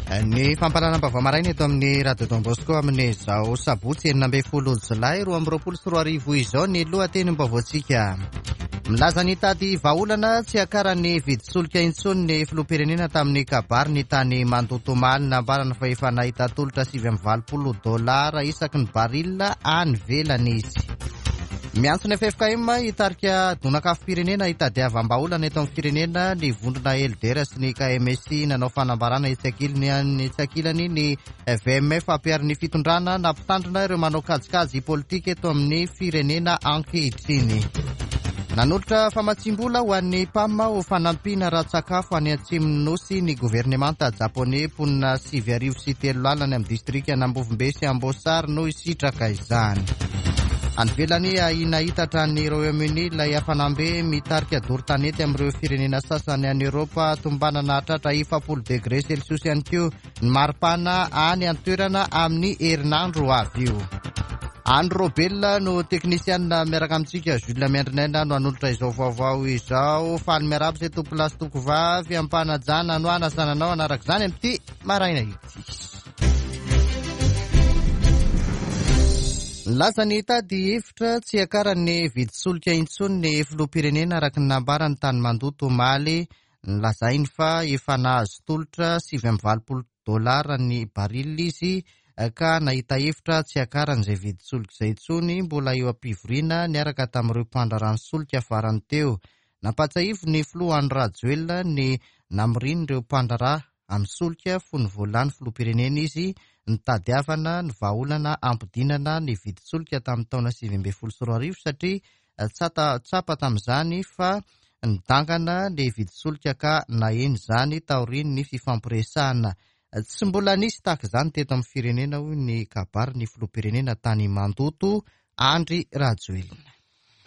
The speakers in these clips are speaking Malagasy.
Ny fampahalalam-baovao maraina eto amin'ny Radio Don Bosco amin'izao sabotsy 16 jolay 2022 izao ny lohatenim-baovaontsika. Milaza ny hitady vahaolana tsy hiakaran'ny vidin-tsolika intsony ny filoham-pirenena tamin'ny kabariny tany Mandoto omaly. Nambarany fa efa nahita tolotra 89 dolara isaky ny baril any ivelany izy. Miantso ny ffkm hitarika donak'afom-pirenena hitadiavam-bahaolana eto amin'ny firenena ny vondrona LDR sy ny KMSI. Nanao fanambarana etsy ankilany ny VMF ampiharin'ny fitondrana nampitandrina ireo manao kajikajy politika eto amin'ny firenena ankehitriny. Nanolotra famatsiam-bola ho an'ny PAM ho fanampiana ara-tsakafo any atsimon'ny Nosy ny governemanta Japoney. Mponina 3903 any amin'ny distrikan'Ambovombe sy Amboasary no hisitraka izany. Any ivelany, ahiana hitatra any Royaume-Uni ilay hafanam-be mitarika doro tanety amin'ireo firenena sasany any Eoropa. Tombanana hahatratra 40 degre celsius ihany koa ny maripana any an-toerana amin'ny herinandro ho avy io. Andry Robel no teknisianina miaraka amintsika, Jules Miandrinaina no hanolotra izao vaovao izao. Faly miarahaba izay tompolahy sy tompovavy am-panajana no hanasana anao hanaraka izany amin'ity maraina ity. Nilaza ny hitady hevitra tsy hiakaran'ny vidin-tsolika intsony ny filoham-pirenena araka ny nambarany tany Mandoto omaly. Nolazainy fa efa nahazo tolotra 89 dolara ny baril izy ka nahita hevitra tsy hiakarany izay vidin-tsolika izay intsony, mbola eo am-pivoriana niaraka tamin'ireo mpandraharaha ny solika farany teo. Nampahatsiahivin'ny filoha Andry Rajoelina ny namorian'ireo mpandraharaha amin'ny solika fony vao lany filoham-pirenena izy nitadiavana ny vahaolana hampidinana ny vidin-tsolika tamin'ny taona 2019 satria Tsapa tamin'izany fa nidangana ny vidin-tsolika ka naheno izany taorian'ny fifampiresahana. Tsy mbola nisy tahaka izany teto amin'ny firenena, hoy ny kabarin'ny filoham-pirenena tany Mandoto, Andry Rajoelina.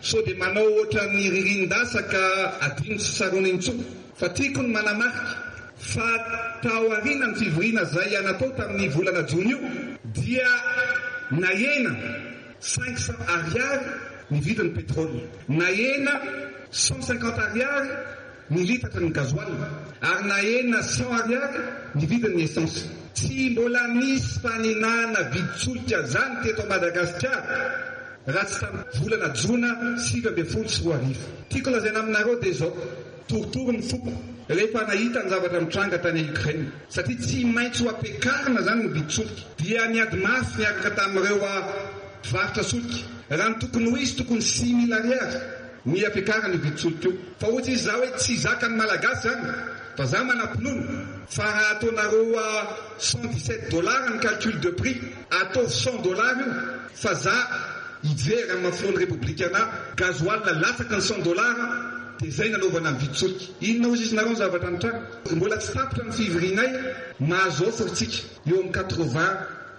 Sao dia manao ohatran'ny ririnin-dasa ka adino tsy tsaroana intsony. Fa tiako ny manamarika fa taorian'ny fivoriana izay natao tamin'ny volana jona io dia nahena 500 ariary ny vidin'ny pétrole, nahena 150 ariary ny litatra ny gasoil ary nahena 100 ariary ny vidin'ny essence. Tsy mbola nisy fanenana vidin-tsolika zany teto Madagasikara raha tsy tamin'ny volana jona 2019. Tiako lazaina aminareo dia izao, torotoro ny foko rehefa nahita ny zavatra mitranga tany Ukraine satria tsy maintsy ho ampiakarina zany ny vidin-tsolika. Dia niady mafy niaraka tamin'ireo mpivarotra solika. Raha ny tokony ho izy tokony 6000 ariary ny ampiakarana io vidin-tsolika io. Fa hoy izy za hoe tsy zakan'ny Malagasy zany fa za manam-pinoana fa raha ataonareo 117 dollars ny calcul de prix ataovy 100 dollars io fa za hijery amin'ny maha filohan'ny Repoblika anah gasoil latsaky ny 100 dollars dia zay nanaovana ny vidin-tsolika. Inona hoy izy nareo ny zavatra nitranga? Mbola tsy tapitra ny fivorianay mahazo offre tsika. Eo amin'ny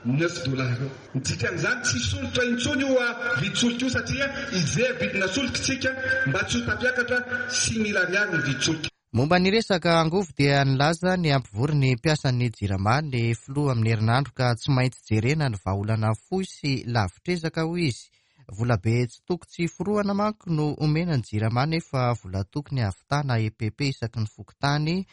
89 dollars eo. Ny dikan'izany tsy hisolotra intsony io vidin-tsolika io satria hijery vidina solika isika mba tsy ho tafiakatra 6000 ariary ny vidin-tsolika. Momba ny resaka angovo dia nilaza ny hampivory ny mpiasan'ny Jirama ny filoha amin'ny herinandro ka tsy maintsy jerena ny vahaolana fohy sy lavitr'ezaka hoy izy. Volabe tsy toko tsy forohana manko no omena ny Jirama nefa vola tokony hahavitana EPP isaky ny fokontany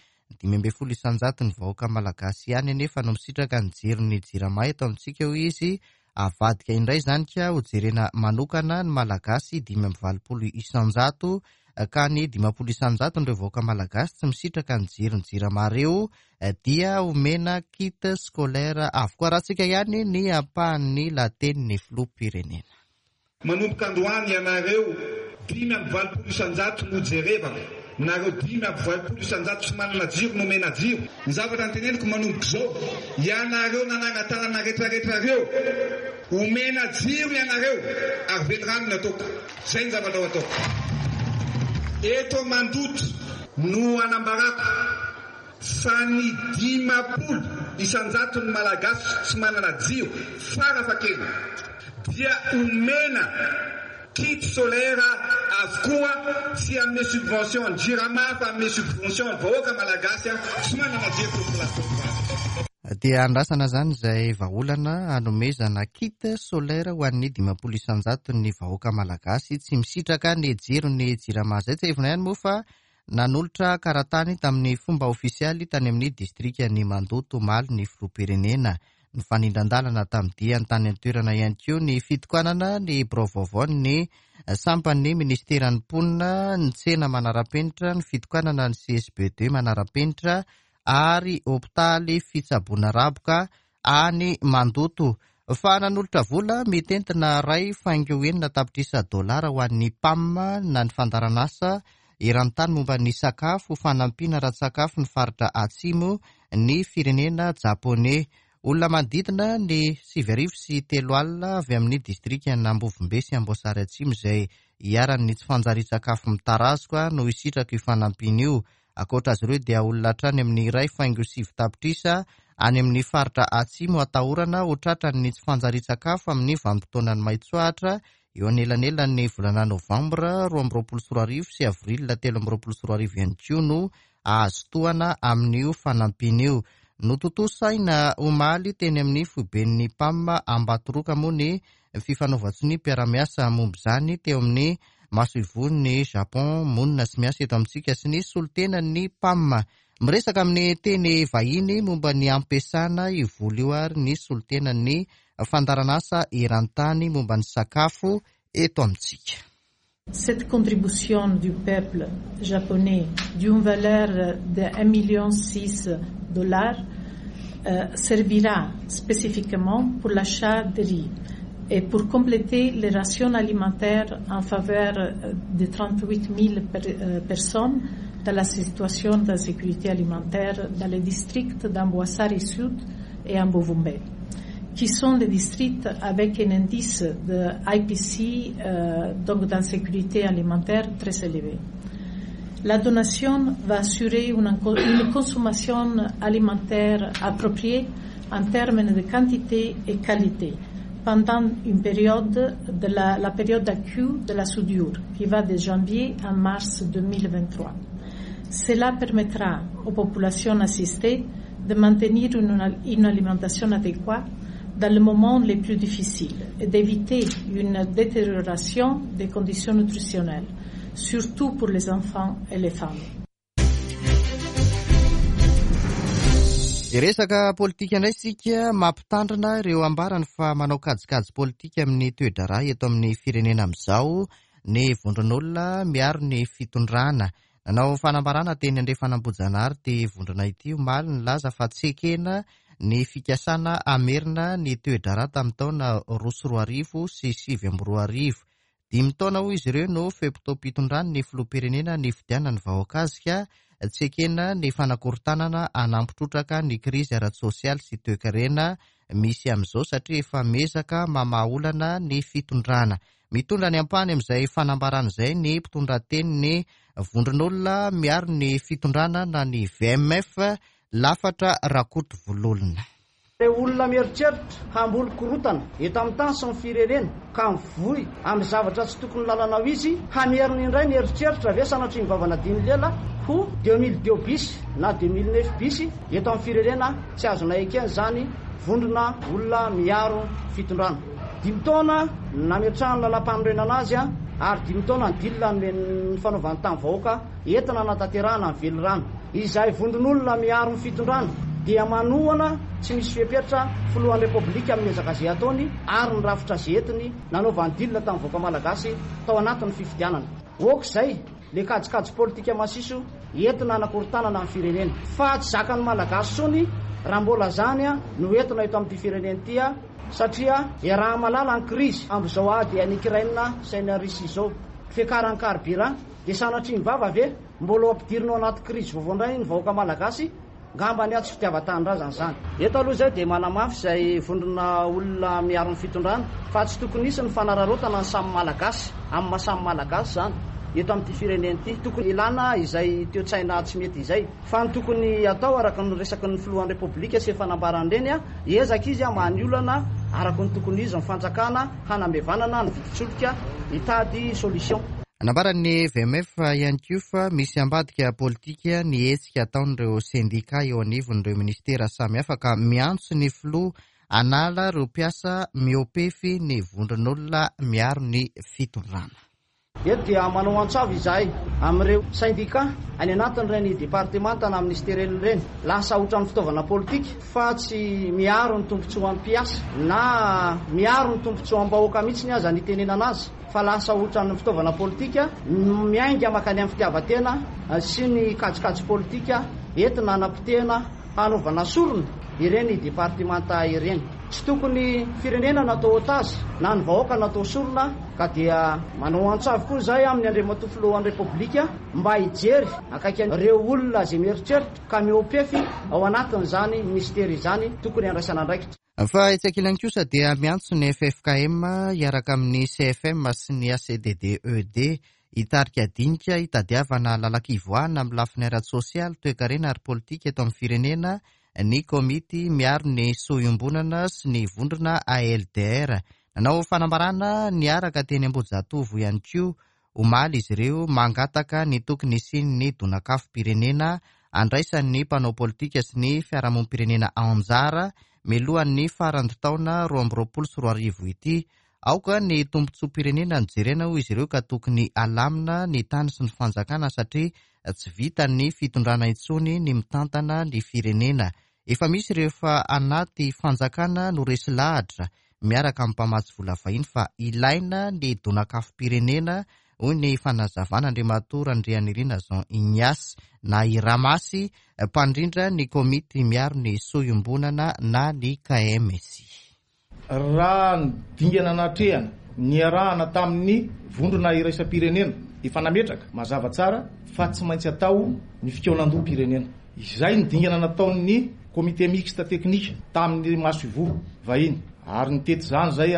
15 isan-jaton'ny vahoaka malagasy ihany anefa no misitraka ny jiron'ny Jirama eto amintsika, hoy izy. Avadika indray izany ka hojerena manokana ny Malagasy 85 isan-jato ka ny 50 isan-jaton'ireo vahoaka malagasy tsy misitraka ny jiron'ny Jirama ireo dia omena kit scolaire avokoa. Arahantsika ihany ny ampahan'ny lahatenin'ny filoham-pirenena. Manomboka androany ianareo 85% no jerevako, nareo 85% tsy manana jiro no omena jiro. Ny zavatra noteneniko manomboka izao, ianareo nanangan-tanana retraretra reo, omena jiro ianareo ary velirano ny ataoko. Zay ny zavatra ho ataoko. Eto Mandoto no anambarako. Fa ny 50 isan-jaton'ny Malagasy tsy manana jiro farafahakeliny dia omena kit solaire avokoa, tsy hanome subvention ny Jirama fa hanome subvention ny vahoaka Malagasy tsy manana jiro tompokolahy sy tompokovavy. Dia andrasana izany izay vahaolana hanomezana kit solaire ho an'ny 50 isan-jaton'ny vahoaka Malagasy tsy misitraka ny jiron'ny Jirama izay. Tsiahivina ihany moa fa. Nanolotra karatany tamin'ny fomba ofisialy tany amin'ny distrikan'i Mandoto omaly ny filoham-pirenena. Nifanindran-dalana tamin'ny diany tany an-toerana ihany koa ny fitokanana ny birao vaovaon'ny sampan'ny minisiteran'ny mponina, ny tsena manara-penitra, ny fitokanana ny CSB deux manara-penitra ary hopitaly fitsaboana raboka any Mandoto. Fa nanolotra vola mitentina 1.6 tapitrisa dolara ho an'ny PAM na ny fandaharanasa eran-tany momba ny sakafo ho fanampiana ara-tsakafo ny faritra Atsimo ny firenena Japoney. Olona manodidina ny 390 avy amin'ny distrikan'Ambovombe sy Amboasary Atsimo izay iharan'ny tsy fanjarian-tsakafo mitarazoka no hisitraka io fanampiana io. Ankoatra azy ireo dia olona hatrany amin'ny 1.9 tapitrisa any amin'ny faritra Atsimo atahorana ho tratran'ny tsy fanjarian-tsakafo amin'ny vanim-potoanan'ny maitsoahitra eo anelanelan'ny volana novambra 2022 sy avril 2023 ihany koa no hahazo tohana amin'io fanampiana io. Notontosaina omaly teny amin'ny foiben'ny PAM Ambatoroka moa ny fifanaovan-tsonia mpiara-miasa momba izany teo amin'ny masoivohon'ny Japon monina sy miasa eto amintsika sy ny solontenan'ny PAM. Miresaka amin'ny teny vahiny momba ny ampiasana io vola io ary ny solontenan'ny fandaharanasa eran-tany momba ny sakafo eto amintsika. Cette contribution du peuple japonais d'une valeur de 1,6 million dollars servira spécifiquement pour l'achat de riz et pour compléter les rations alimentaires en faveur de 38 000 personnes dans la situation d'insécurité alimentaire dans les districts d'Amboasary Sud et Ambovombe, qui sont les districts avec un indice de IPC, donc d'insécurité alimentaire très élevé. La donation va assurer une consommation alimentaire appropriée en termes de quantité et qualité pendant une période de la période accrue de la soudure qui va de janvier à mars 2023. Cela permettra aux populations assistées de maintenir une alimentation adéquate dans les moments les plus difficiles et d'éviter une détérioration des conditions nutritionnelles, surtout pour les enfants et les femmes. Resaka politika indray isika, mampitandrina ireo ambarany fa manao kajikajy politika amin'ny toe-draharaha eto amin'ny firenena amin'izao ny vondron'olona miaro ny fitondrana. Nanao fanambarana teny Andrefan'Ambohijanahary ity vondrona ity omaly nilaza fa tsy ekena ny fikasana hamerina ny toe-draharaha tamin'ny taona 2002 sy 2009. Dimy taona hoy izy ireo no fe-potoam-pitondrany ny filoham-pirenena nifidianan'ny vahoaka azy ka tsy ekena ny fanakorontanana hanampy trotraka ny krizy ara-tsosialy sy toekarena misy amin'izao satria efa miezaka mamaha olana ny fitondrana. Mitondra ny ampahany amin'izay fanambarana izay ny mpitondra tenin'ny vondron'olona miaro ny fitondrana na ny VMF Lafatra Rakotovololona. Ireo olona mieritreritra hamboly korontana eto amin'ny tany sy ny firenena ka mivoy amin'ny zavatra tsy tokony lalana ho izy, hamerina indray ny eritreritra ve sanatria ny vava nadin'ny lela ho 2002 bis na 2009 bis eto amin'ny firenena? Tsy azonay ekena izany, vondrona olona miaro fitondrana. Dimy taona nametrahany lalàmpanorenana azy ary dimy taona ny deal nomen'ny fanaovany tamin'ny vahoaka entina hanatanterahana ny velirano. Izay vondron'olona miaro ny fitondrana dia manohana tsy misy fepetra filohan'ny Repoblika amin'ny ezaka izay ataony ary ny rafitra izay entiny nanaovany deal tamin'ny vahoaka malagasy tao anatin'ny fifidianana. Ok izay le kajikajy politika masiso entina hanakorontanana ny firenena. Fa tsy zakan'ny Malagasy intsony raha mbola izany no entina eto amin'ity firenena ity satria iaraha-mahalala ny krizy amin'izao ady any Ukraine sy any Russie izao. Fiakaran'ny carburant dia sanatria ny vava ve? Mbola ho ampidirina ao anaty krizy vaovao indray ny vahoaka Malagasy? Ngamba ny ahy tsy fitiavan-tanindrazana izany. Eto aloha izay dia manamafy izay vondrona olona miaro ny fitondrana fa tsy tokony hisy ny fanararaotana ny samy Malagasy amin'ny maha samy Malagasy izany eto amin'ity firenena ity. Tokony ilana izay toe-tsaina tsy mety izay. Fa ny tokony hatao araka ny resaky ny filohan'ny Repoblika sy efa nambarany ireny, hiezaka izy hamaha ny olana araka ny tokony izy ny fanjakana hanamevanana ny vidin-tsolika hitady solution. Nambaran'ny VMF ihany koa fa misy ambadika politika ny hetsika ataon'ireo sendika eo anivon'ireo minisitera samihafa ka miantso ny filoha hanala ireo mpiasa mihoa-pefy ny vondron'olona miaro ny fitondrana. Eto dia manao antso avo izahay amin'ireo sendikà any anatin'ireny departemanta na minisitera ireny. Lasa ohatran'ny fitaovana politika fa tsy miaro ny tombontsoan'ny mpiasa na miaro ny tombontsoam-bahoaka mihitsy aza ny itenenana azy fa lasa ohatran'ny fitaovana politika miainga mankany amin'ny fitiavan-tena sy ny kajikajy politika entina hanapotehana hanaovana sorona ireny departemanta ireny. Tsy tokony firenena no atao otage na ny vahoaka no atao sorona ka dia manao antso avo koa izahay amin'ny Andriamatoa Filohan'ny Repoblika mba hijery akaiky an'ireo olona izay mieritreritra ka mihoa-pefy ao anatin'izany minisitera izany tokony handraisana andraikitra. Fa etsy ankilany kosa dia miantso ny ffkm hiaraka amin'ny CFM sy ny ACDDED hitarika dinika hitadiavana lalan-kivoahana amin'ny lafiny ara-tsosialy, toekarena ary politika eto amin'ny firenena ny komity miaro ny soa iombonana sy ny vondrona ALDR. Nanao fanambarana niaraka teny Ambohijatovo ihany koa omaly izy ireo mangataka ny tokony hisian'ny donakafom-pirenena andraisan'ny mpanao politika sy ny fiarahamonim-pirenena anjara mialohan'ny faran'ny taona 2022 ity. Aoka ny tombontsoam-pirenena no jerena hoy izy ireo ka tokony alamina ny tany sy ny fanjakana satria tsy vitan'ny fitondrana intsony ny mitantana ny firenena. Efa misy ireo efa anaty fanjakana no resy lahatra miaraka amin'ny mpamatsy vola vahiny fa ilaina ny donakafom-pirenena hoy ny fanazavana Andriamatoa Randrianirina Jean Ignace na i Ramasy mpandrindra ny komity miaro ny soa iombonana na ny KMSI. Raha ny dingana natrehana niarahana tamin'ny vondrona iraisam-pirenena efa nametraka mazava tsara fa tsy maintsy atao ny fikaonandoham-pirenena. Izay ny dingana nataon'ny Comité mixte technique tamin'ny masoivoho vahiny ary nitety izany izay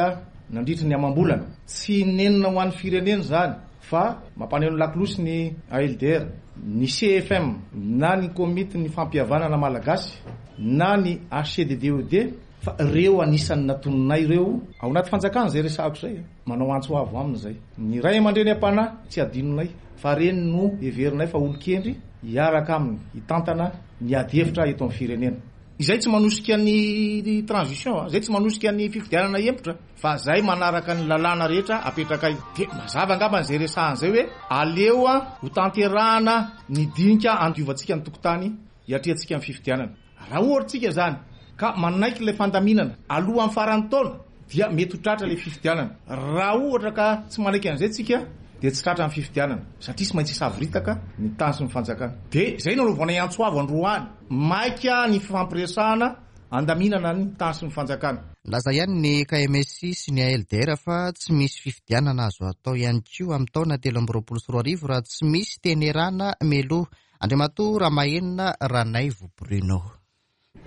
nandritry ny amam-bolana. Tsy nenina ho an'ny firenena izany fa mampaneno lakolosy ny ALDR, ny CFM na ny Komitin'ny fampihavanana malagasy na ny HCDDED. Fa reo anisan'ny natoninay reo ao anaty fanjakana zay resahako zay a! Manao antso avo aminy zay. Ny ray aman-dreny am-panahy tsy adinonay fa reny no heverinay fa olon-kendry hiaraka aminy hitantana ny ady hevitra eto amin'ny firenena. Izay tsy manosika ny transition a! Zay tsy manosika ny fifidianana hihemotra fa zay manaraka ny lalàna rehetra apetrakay. Dia mazava angambany zay resahana zay hoe aleo ho tanterahana ny dinika handiovantsika ny tokotany hiatrehantsika ny fifidianana. Raha ohatra tsika izany ka manaiky ilay fandaminana alohan'ny faran'ny taona dia mety ho tratra ilay fifidianana. Raha ohatra ka tsy manaiky an'izay tsika dia tsy tratra ny fifidianana satria tsy maintsy hisavoritaka ny tany sy ny fanjakana. Dia izay no anaovanay antso avo androany, maika ny fifampiresahana handaminana ny tany sy ny fanjakana. Nilaza ihany ny KMSI sy ny ALDR fa tsy misy fifidianana azo atao ihany koa amin'ny taona 2023 raha tsy misy tenerana mialoha. Andriamatoa Ramahenina Ranaivo Bruno.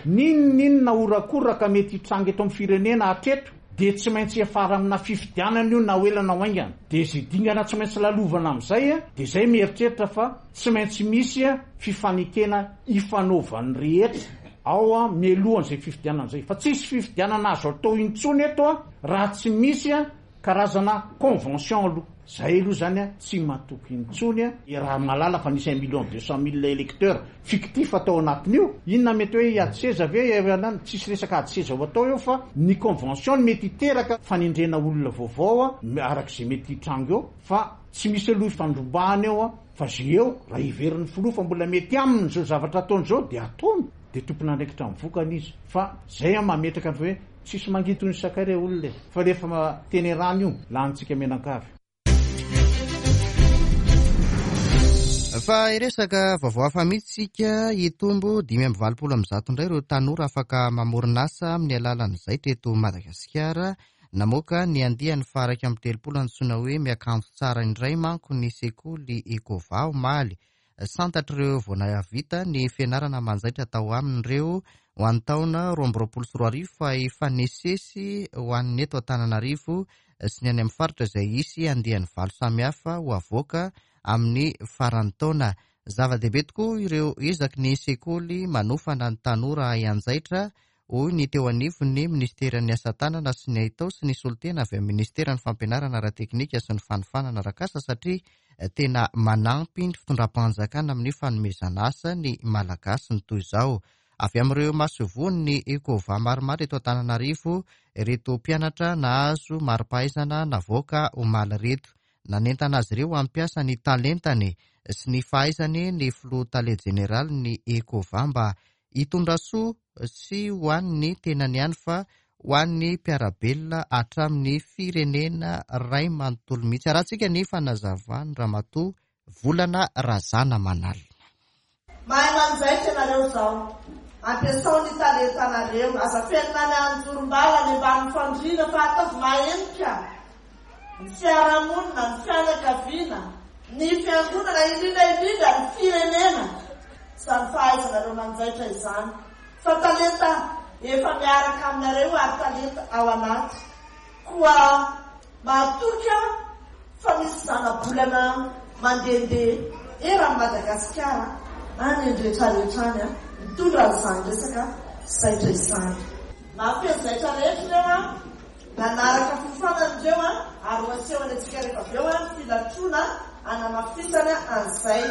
N'inon'inona horakoraka mety hitranga eto amin'ny firenena hatreto dia tsy maintsy hiafara amina fifidianana io na ho ela na ho haingana. Dia izay dingana tsy maintsy lalovana amin'izay dia izay mieritreritra fa tsy maintsy misy fifanekena ifanaovan'ny rehetra ao mialohan'izay fifidianana izay. Fa tsisy fifidianana azo atao intsony eto raha tsy misy Karazana convention aloha. Zahay aloha zany a tsy matoky intsony a. Raha mahalala fa nisy un million deux cent mille electeurs fictifs tao anatin'io, inona mety hoe hiady seza ve ianany? Tsisy resaka ady seza ho atao eo fa ny convention no mety hiteraka fanendrena olona vaovao a, araka izay mety hitranga eo fa tsy misy aloha ifandrombahana eo a, fa ze eo raha heverin'ny filoha fa mbola mety aminy izao zavatra ataony izao dia ataony. Dia tompon'andraikitra amin'ny vokany izy fa zay an mametraka ny hoe tsisy mangidy toy ny sakay re olona e! Fa rehefa tenerana io lanintsika mianankavy. Fa hiresaka vaovao hafa mihitsy isika, hitombo 185 indray ireo tanora afaka mamorona asa amin'ny alalan'ny zaitra eto Madagasikara. Namoaka ny andiany faha-31 antsoina hoe Miakanjo tsara indray manko ny sekoly Ecova omaly. Santatr'ireo vao nahavita ny fianarana manjaitra tao aminy ireo ho an'ny taona 2022 fa efa nisesy ho an'ny eto Antananarivo sy ny any amin'ny faritra izay hisy andiany valo samihafa ho avoaka amin'ny faran'ny taona. Zava-dehibe tokoa ireo ezaky ny sekoly manofana ny tanora hahay hanjaitra hoy ny teo anivon'ny minisiteran'ny Asa tanana sy ny haitao sy ny solontena avy amin'ny minisiteran'ny Fampianarana ara-teknika sy ny fanofanana arak'asa satria tena manampy ny fitondram-panjakana amin'ny fanomezana asa ny Malagasy ny toy izao. Avy amin'ireo masoivohon'ny Ecova maromaro eto Antananarivo ireto mpianatra nahazo mari-pahaizana navoaka omaly ireto. Nanentana azy ireo hampiasa ny talentany sy ny fahaizany ny filoha tale jeneralin'ny Ecova mba hitondra soa tsy ho an'ny tenany ihany fa ho an'ny mpiara-belona hatramin'ny firenena iray manontolo mihitsy. Arahantsika ny fanazavan'i Ramatoa Volana Razanamanalina. Mahay manjaitra ianareo izao. Ampiasao ny talentanareo. Aza afenina any anjorom-bala any ambanin'ny fandriana fa ataovy mahenika ny fiarahamonina, ny fianakaviana, ny fiangonana, indrindra indrindra ny firenena izany fahaizanareo manjaitra izany. Fa talenta efa miaraka aminareo ary talenta ao anaty. Koa mahatoky aho fa misy zana-bolana mandehandeha eran'i Madagasikara any an-dretraretra any mitondra an'izany resaka zaitra izany. Mahafehy zaitra rehetra ireo an, nanaraka fiofanana ireo an, ary ho asehony antsika rehefa avy eo ny filatroana hanamafisana an'izay.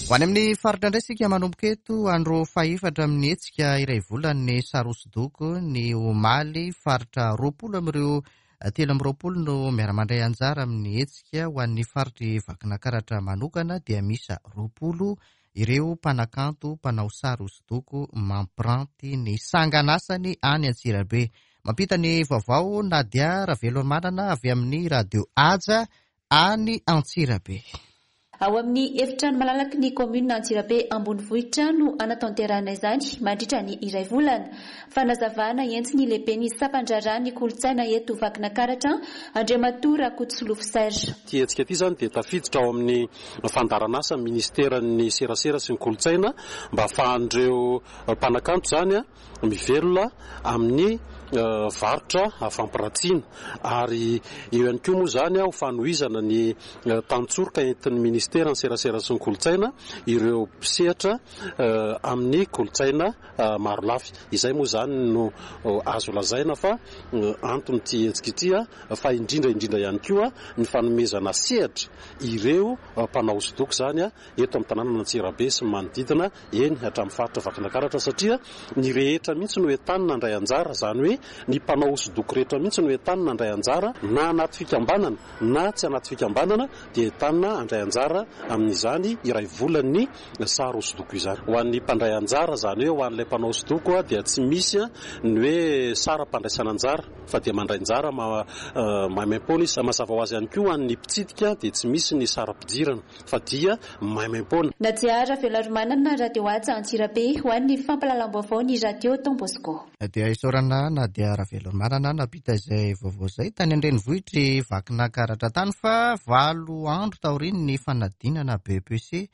Ho any amin'ny faritra indray isika manomboka eto andro fahefatra amin'ny hetsika iray volan'ny sary hosodoko ny omaly. Faritra 20 amin'ireo 23 no miara-mandray anjara amin'ny hetsika. Ho an'ny faritr'i Vakinankaratra manokana dia miisa 20 ireo mpanakanto mpanao sary hosodoko mampiranty ny sanganasany any Antsirabe. Mampita ny vaovao Nadia Ravelomanana avy amin'ny Radio Haja any Antsirabe. Ao amin'ny efitrano malalaky ny kaominina Antsirabe ambonivohitra no hanatanterahana izany mandritra ny iray volana. Fanazavana entin'ny lehiben'ny sampan-draharahan'ny kolontsaina eto Vakinankaratra, Andriamatoa Rakotosolofo Serge. Ity hetsika ity izany dia tafiditra ao amin'ny fandaharan'asan'ny minisiteran'ny serasera sy ny kolontsaina mba hahafahan'ireo mpanakanto izany mivelona amin'ny varotra fampiratsiana ary eo ihany koa moa izany ho fanohizana ny tantsoroka entin'ny ministeran'ny serasera sy ny kolontsaina ireo mpisehatra amin'ny kolontsaina marolafy. Izay moa izany no azo lazaina fa anton'ity hetsika ity fa indrindra indrindra ihany koa ny fanomezana sehatra ireo mpanao hosodoko izany eto amin'ny tanànan'Antsirabe sy ny manodidina, eny hatramin'ny faritra Vakinankaratra satria ny rehetra mihitsy no entanina handray anjara, izany hoe ny mpanao hosodoko rehetra mihitsy no entanina handray anjara na anaty fikambanana na tsy anaty fikambanana dia entanina handray anjara amin'izany iray volan'ny sary hosodoko izany. Ho an'ny mpandray anjara, izany hoe ho an'ilay mpanao hosodoko dia tsy misy ny hoe saram-pandraisana anjara fa dia mandray anjara maimaimpoana izy. Mazava ho azy ihany koa ho an'ny mpitsidika dia tsy misy ny saram-pidirana. fa dia maimaimpoana. Nadia Raveloarimanana, Radio Haja Antsirabe, ho an'ny fampahalalam-baovao ny Radio Don Bosco. Dia isaorana Nadia Raveloarimanana nampita izay vaovao izay tany an-drenivohitr'i Vakinankaratra tany fa valo andro taorian'ny fanadinana BEPC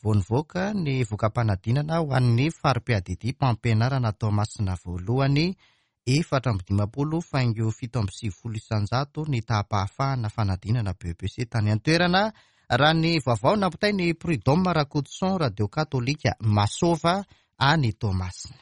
vao nivoaka ny voka-panadinana ho an'ny fari-piadidiam-pampianarana Toamasina voalohany 54 faingo 97% ny taham-pahafahana fanadinana BEPC tany an-toerana, raha ny vaovao nampitain'i Prud'homme Rakotoson, Radio Katolika Masova any Toamasina.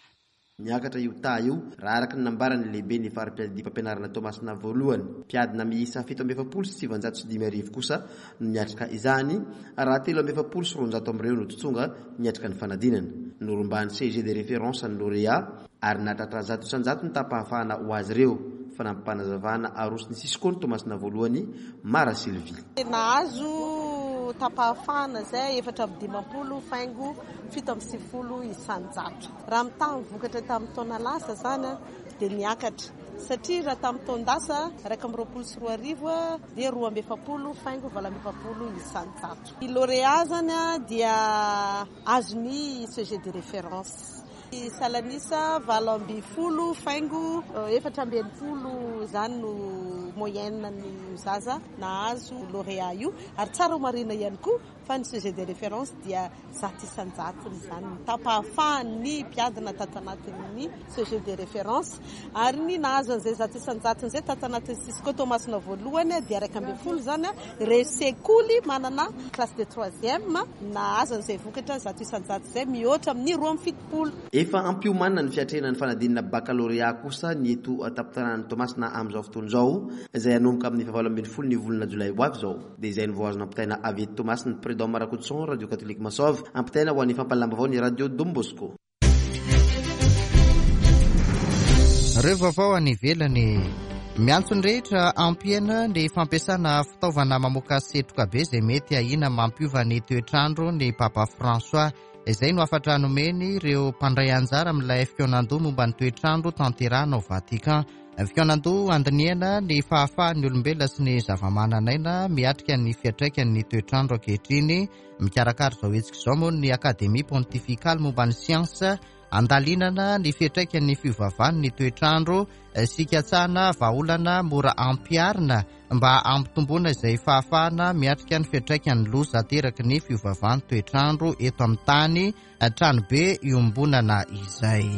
Niakatra io taha io, raha araka ny nambaran'ny lehiben'ny fari-piadidiam-pampianarana Toamasina voalohany. Mpiadina miisa 1947 kosa no niatrika izany, raha 243 amin'ireo no tsy tonga niatrika ny fanadinana. Norombahan'ny CG de référence ny lauréat, ary nahatratra 100% ny taham-pahafahana ho azy ireo, fanampim-panazavana aroson'ny Cisco ny Toamasina voalohany, Mara Sylvie. Nahazo taham-pahafahana izay 54 faingo 97 isan-jato. Raha mitaha ny vokatra tamin'ny taona lasa izany dia niakatra satria raha tamin'ny taon-dasa 2021 dia 42 faingo 48 isan-jato. Ny lauréat izany dia azon'ny CG de référence. Salanisa 18 faingo 64 izany no moyenne ny zaza nahazo lauréat io ary tsara ho marihina ihany koa fa ny sujet de référence dia 100% izany ny taham-pahafahan'ny mpiadina tato anatin'ny sujet de référence ary ny nahazo an'izay 100% izay tato anatin'ny Cisco Toamasina voalohany dia 11 izany ireo sekoly manana classe de troisième nahazo an'izay vokatra 100% izay mihoatra amin'ny 72. Efa ampiomanina ny fiatrehana ny fanadinana bakalorea kosa ny eto an-tampon-tanànan'i Toamasina amin'izao fotoana izao, izay hanomboka amin'ny fahavalo ambin'ny folo ny volana jolay ho avy izao. Dia izay no vao azo nampitaina avy eto Toamasina, Prud'homme Rakotoson, Radio Catholique Masov, ampitaina ho an'ny fampahalalam-baovao ny Radio Don Bosco. Ireo vaovao any ivelany. Miantso ny rehetra hampihena ny fampiasana fitaovana mamoaka setroka be izay mety ahiana mampiova ny toetr'andro ny Papa François. Izay no hafatra nomeny ireo mpandray anjara amin'ilay fikaonandoha momba ny toetr'andro tanterahina ao Vatican. Fikaonandoha handinihana ny fahafahan'ny olombelona sy ny zavamananaina miatrika ny fiantraikan'ny toetr'andro ankehitriny. Mikarakara izao hetsika izao moa ny Akademia Pontifikaly momba ny Siansa Andalinana ny fiantraikan'ny fiovavan'ny toetr'andro sy hikatsahana vahaolana mora ampiharina mba hampitomboana izay fahafahana miatrika ny fiantraikan'ny loza ateraky ny fiovavan'ny toetr'andro eto amin'ny tany, tranobe iombonana izay.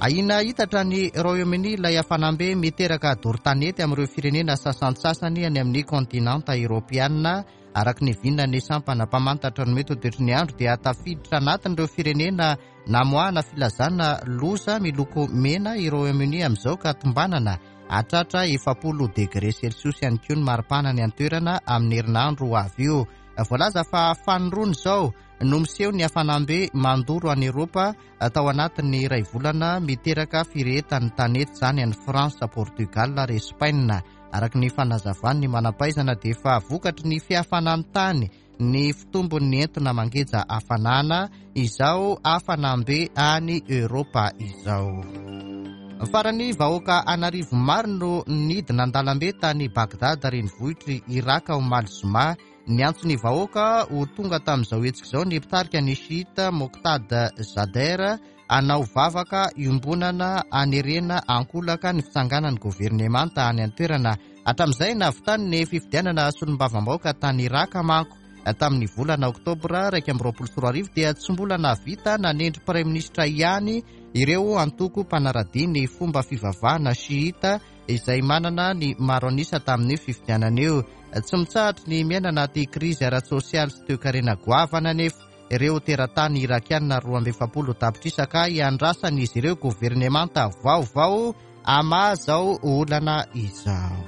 Ahiana hitatra any Royaume-Uni ilay hafanam-be miteraka doro tanety amin'ireo firenena sasantsasany any amin'ny kontinanta Eoropeana. Araka ny vinan'ny sampana mpamantatra ny mety ho toetry ny andro dia tafiditra anatin'ireo firenena namoahana filazana loza miloko mena i Royaume-Uni amin'izao ka tombanana hahatratra 40 degre celsius ihany koa ny maripana any an-toerana amin'ny herinandro ho avy io. Voalaza fa fanindroany izao no miseho ny hafanam-be mandoro any Eropa tao anatin'ny iray volana miteraka firehetan'ny tanety izany any France, Portugal ary Espaina. Araka ny fanazavan'ny manam-pahaizana dia efa vokatry ny fihafanan'ny tany ny fitombon'ny entona mangeja hafanana izao hafanam-be any Eoropa izao. Farany, vahoaka an'arivo maro no nidina an-dalambe tany Bagdad renivohitr'i Iraka omaly zoma. Niantso ny vahoaka ho tonga tamin'izao hetsika izao ny mpitarika ny Shiita Moqtada Sadr hanao vavaka iombonana hanerena ankolaka ny fitsanganan'ny governemanta any an-toerana. Hatramin'izay nahavitany ny fifidianana solombavambahoaka tany Iraka manko tamin'ny volana oktobra 2021 dia tsy mbola nahavita nanendry praiminisitra ihany ireo antoko mpanaradia ny fomba fivavahana Shiita izay manana ny maro an'isa tamin'io fifidianana io. Tsy mitsahatry ny miaina anaty krizy ara-tsosialy sy toekarena goavana anefa ireo teratany Irakiana 42 tapitrisa ka iandrasan'izy ireo governemanta vaovao hamaha izao olana izao.